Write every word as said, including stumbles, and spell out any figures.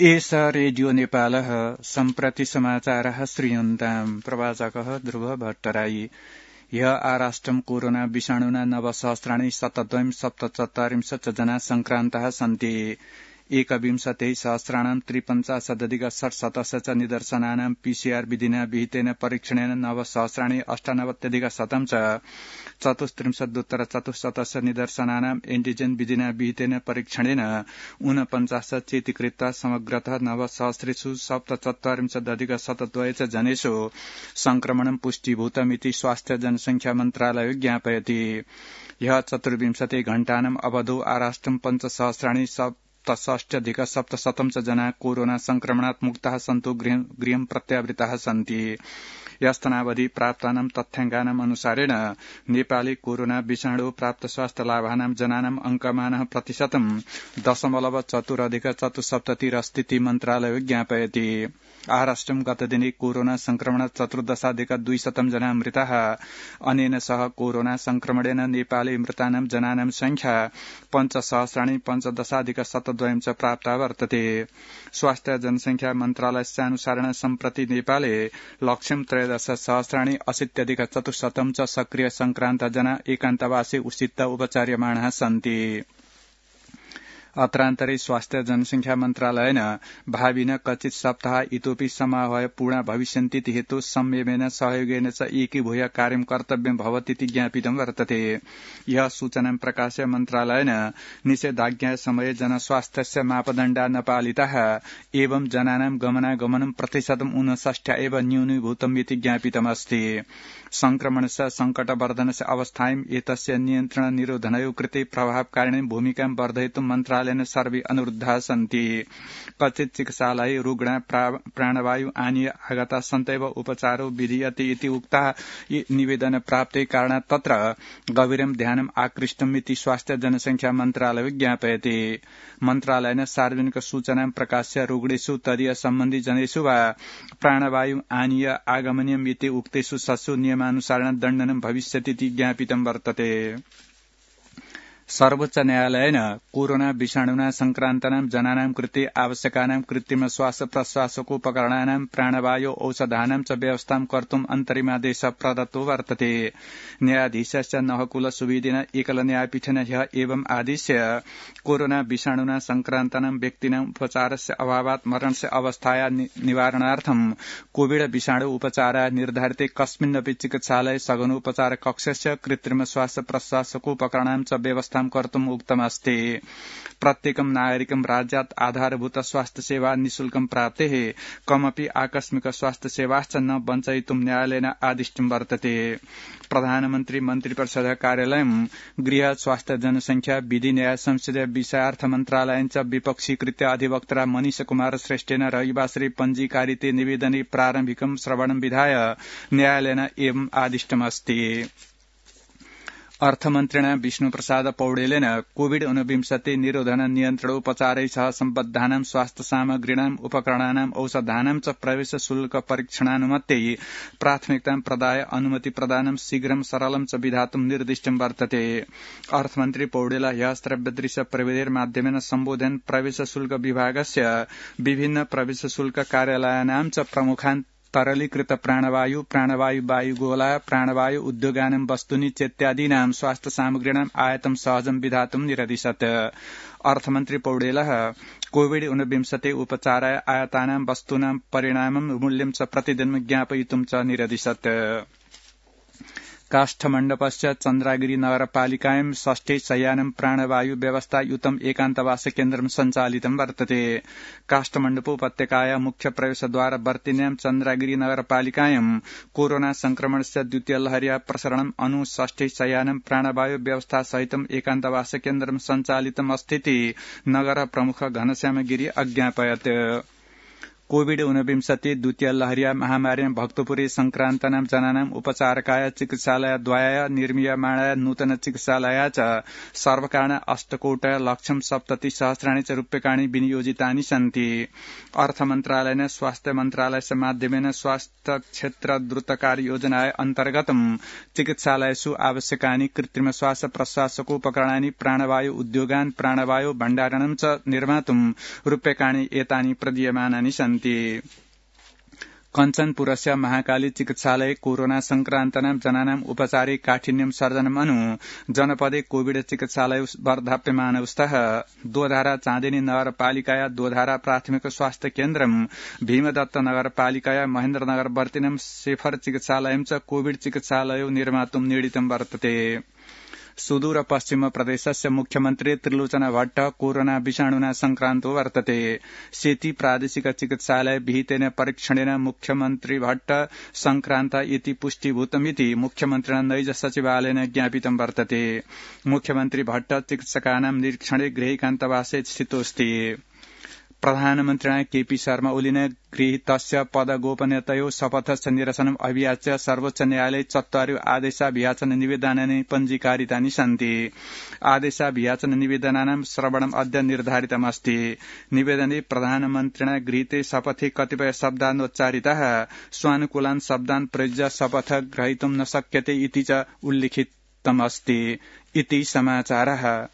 एष रेडियो नेपालः सम्प्रति समाचारः श्रूयन्ताम् प्रवाचकः ध्रुव भट्टराई ह्य आराष्ट्रम् कोरोना विषाणुना नवसहस्राणि शतद्वयम् सप्तचत्वारिंशत् जना संक्रान्तः सन्ति एकविंशतिः सहस्राणाम् त्रिपञ्चाशदधिक षट्शतस्य च निदर्शनानाम् पीसीआर विधिना विहितेन परीक्षणेन नवसहस्राणि अष्टानवत्यधिक शतम् च चतुस्त्रिंशदुत्तर चतुश्शतस्य निदर्शनानाम् एन्टिजेन विधिना विहितेन परीक्षणेन ऊनपञ्चाश चेतीकृत्वा समग्रतः नवसहस्रेषु सप्तचत्वारिंशदधिक शतद्वय च जनेषु संक्रमणं पुष्टीभूतमिति स्वास्थ्य जनसंख्या मन्त्रालयो ज्ञापयति ह्यः चतुर्विंशति घण्टानाम् अवधौ आराष्ट्रम् पञ्चसहस्राणि सप्तषष्ट्यधिक सप्तशतं च जना कोरोना संक्रमणात् मुक्ताः सन्तु गृहं प्रत्यावृताः सन्ति यस्तनावधि प्राप्तानां तथ्याङ्कानाम् अनुसारेण नेपाले कोरोना विषाणु प्राप्त स्वास्थ्य लाभानां जनानाम् अंकमानः प्रतिशतं दशमलव चतुरधिक चतुस्सप्ततिरस्तीति मन्त्रालयो ज्ञापयति आराष्ट्रम् गतदिने कोरोना संक्रमण चतुर्दशाधिक द्विशतं जना मृताः अनेन सह कोरोना संक्रमणेन नेपाले मृतानां जनानां संख्या पञ्चसहस्राणि पञ्चदशाधिक शतद्वयं च प्राप्ता वर्तते स्वास्थ्य जनसंख्या मन्त्रालयस्यानुसारेण सम्प्रति नेपाले लक्ष्यं त्रयोदश सहस्राणि अशीत्यधिक चतुश्शतं च सक्रिय संक्रान्त जना एकान्तवासे उषित्त उपचार्यमाणाः सन्ति अत्रान्तरे स्वास्थ्य जनसंख्या मन्त्रालयेन भाविन कचित् सप्ताह इतोपि समाहय पूर्णा भविष्यन्तीति हेतु संयमेन सहयोगेन च एकीभूय कार्यं कर्तव्यं भवतीति ज्ञापितं वर्तते यह सूचनां प्रकाश्य मन्त्रालयेन निषेधाज्ञा समये जनस्वास्थ्यस्य मापदण्डा न पालिताः एवं जनानां गमनागमनं प्रतिशतम् ऊनषष्ठ्या एव न्यूनीभूतमिति ज्ञापितमस्ति संक्रमणस्य संकटवर्धनस्य अवस्थायाम् एतस्य नियन्त्रण निरोधनयोः कृते प्रभावकारिणीं भूमिकां वर्धयितुं मन्त्रालयेन सर्वे अनुरुद्धाः सन्ति कचित् चिकित्सालये रुग्णा प्राणवायु आनीय आगता सन्तैव उपचारो विधीयते इति उक्ताः निवेदन प्राप्ते कारणात् तत्र गभीरं ध्यानम् आकृष्टमिति स्वास्थ्य जनसंख्या मन्त्रालयो ज्ञापयति मन्त्रालयेन सार्वजनिक सूचनां प्रकाश्य रुग्णेषु तदीय सम्बन्धि जनेषु वा प्राणवायु आनीय आगमनीयम् इति उक्तेषु सत्सु नियमानुसारेण दण्डनं भविष्यतीति ज्ञापितं वर्तते सर्वोच्च न्यायालयेन कोरोना विषाणुना संक्रान्तानां जनानां कृते आवश्यकानां कृत्रिम श्वास प्रश्वासोपकरणानां प्राणवायु औषधानां च व्यवस्थां कर्तुम् अन्तरिमादेशः प्रदत्तो वर्तते न्यायाधीशस्य नहकुल सुवेदेन एकल न्यायपीठेन ह्यः एवम् आदेश्य कोरोना विषाणुना संक्रान्तानां व्यक्तीनां उपचारस्य अभावात् मरणस्य अवस्थाया निवारणार्थं कोविड विषाणु उपचाराय निर्धारिते कस्मिन्नपि चिकित्सालये सघनोपचार कक्षस्य कृत्रिम श्वास प्रश्वासोपकरणां च व्यवस्था कर्तुम् उक्तमस्ति प्रत्येकं नागरिकं राज्यात् आधारभूत स्वास्थ्य सेवा निःशुल्कं प्राप्तेः कमपि आकस्मिक स्वास्थ्य सेवाश्च न वञ्चयितुं न्यायालयेन आदिष्टं वर्तते प्रधानमन्त्री मन्त्रिपरिषद कार्यालयं गृह स्वास्थ्य जनसंख्या विधि न्याय संसदीय विषयार्थ मन्त्रालयं च विपक्षीकृत्य अधिवक्ता मनीष कुमार श्रेष्ठेन रविवासरे पञ्जीकारिते निवेदने प्रारम्भिकं श्रवणं विधाय न्यायालयेन एवम् आदिष्टमस्ति अर्थमन्त्रिणा विष्णुप्रसाद पौडेलेन कोविड ऊनविंशति निरोधन नियन्त्रणोपचारै सह सम्बद्धानां स्वास्थ्य सामग्रीणाम् उपकरणानाम् औषधानां च प्रवेश शुल्क परीक्षणानुमत्यै प्राथमिकतां प्रदाय अनुमति प्रदानं शीघ्रं सरलं च विधातुं निर्दिष्टं वर्तते अर्थमन्त्री पौडेल ह्यः श्रव्यदृश्य प्रविधिर्माध्यमेन सम्बोधयन् प्रवेश शुल्क विभागस्य विभिन्न प्रवेश शुल्क कार्यालयानां च प्रमुखान् तरलीकृत प्राणवायु प्राणवायु वायुगोला प्राणवायु उद्योगानां वस्तूनि चेत्यादीनां स्वास्थ्य सामग्रीणाम् आयातं सहजं विधातुं निरदिशत् अर्थमन्त्री पौडेलः कोविड ऊनविंशति उपचाराय आयातानां वस्तूनां परिणामं मूल्यं च प्रतिदिनं ज्ञापयितुं च निरदिशत् काष्ठमण्डपस्य चन्द्रागिरी नगरपालिकायां षष्ठे शय्यानं प्राणवायु व्यवस्थायुतम् एकान्तवास केन्द्रं सञ्चालितं वर्तते काष्ठमण्डपोपत्यकाया मुख्य प्रवेशद्वार वर्तिन्यां चन्द्रागिरी नगरपालिकायां कोरोना संक्रमणस्य द्वितीय लहर्या प्रसरणम् अनु षष्ठे शय्यानं प्राणवायु व्यवस्था सहितम् एकान्तवास केन्द्रं सञ्चालितम् अस्तीति नगर प्रमुख घनश्याम गिरी अज्ञापयत् कोविड ऊनविंशति द्वितीय लहर्या महामार्यां भक्तपुरे संक्रांतानां जनानाम् उपचारकाय चिकित्सालयद्वयाय निर्मीयमाणाय नूतन चिकित्सालया च सर्वकारेण अष्टकोट लक्षं सप्तति सहस्राणि च रूप्यकाणि विनियोजितानि सन्ति। अर्थमन्त्रालयेन स्वास्थ्य मन्त्रालयस्य माध्यमेन स्वास्थ्य क्षेत्र द्रुतकार्य योजनाय अन्तर्गतं चिकित्सालयेषु आवश्यकानि कृत्रिम श्वास प्रश्वासोपकरणानि प्राणवायु उद्योगान् प्राणवायु भण्डारणं च निर्मातुं रूप्यकाणि एतानि प्रदीयमानानि सन्ति। कञ्चनपुरस्य महाकाली चिकित्सालये कोरोना संक्रान्तानां जनानाम् उपचारे काठिन्यं सर्जनम् अनु जनपदे कोविड चिकित्सालय वर्धाप्यमान स्तः। दोधारा चाँदिनी नगरपालिकाया दोधारा प्राथमिक स्वास्थ्य केन्द्रं भीमदत्त नगरपालिकाया महेन्द्रनगर वर्तिनं शेफर चिकित्सालयं च कोविड चिकित्सालयो निर्मातुं निर्णीतं वर्तते। सुदूर पश्चिम प्रदेशस्य मुख्यमन्त्री त्रिलोचना भट्ट कोरोना विषाणुना संक्रान्तो वर्तते। सेती प्रादेशिक चिकित्सालय विहितेन परीक्षणेन मुख्यमन्त्री भट्ट संक्रान्त इति पुष्टीभूतमिति मुख्यमन्त्रिणा नैज सचिवालयेन ज्ञापितं वर्तते। मुख्यमन्त्री भट्ट चिकित्सकानां निरीक्षणे गृहैकान्तवासे स्थितोऽस्ति। प्रधानमन्त्रिणा केपी शर्मा ओलीन गृहीतस्य पदगोपनीयतयो शपथस्य निरसनम् अभियाच्य सर्वोच्च न्यायालये चत्वारि आदेशाभियाचन निवेदनानि पञ्जीकारितानि सन्ति। आदेशाभियाचन निवेदनानां श्रवणम् अद्य निर्धारितमस्ति। निवेदने प्रधानमन्त्रिणा गृहीते शपथे कतिपय शब्दानोच्चारिताः स्वानुकूलान् शब्दान् प्रयुज्य शपथ ग्रहीतुं न शक्यते इति च उल्लिखितमस्ति। इति समाचारः।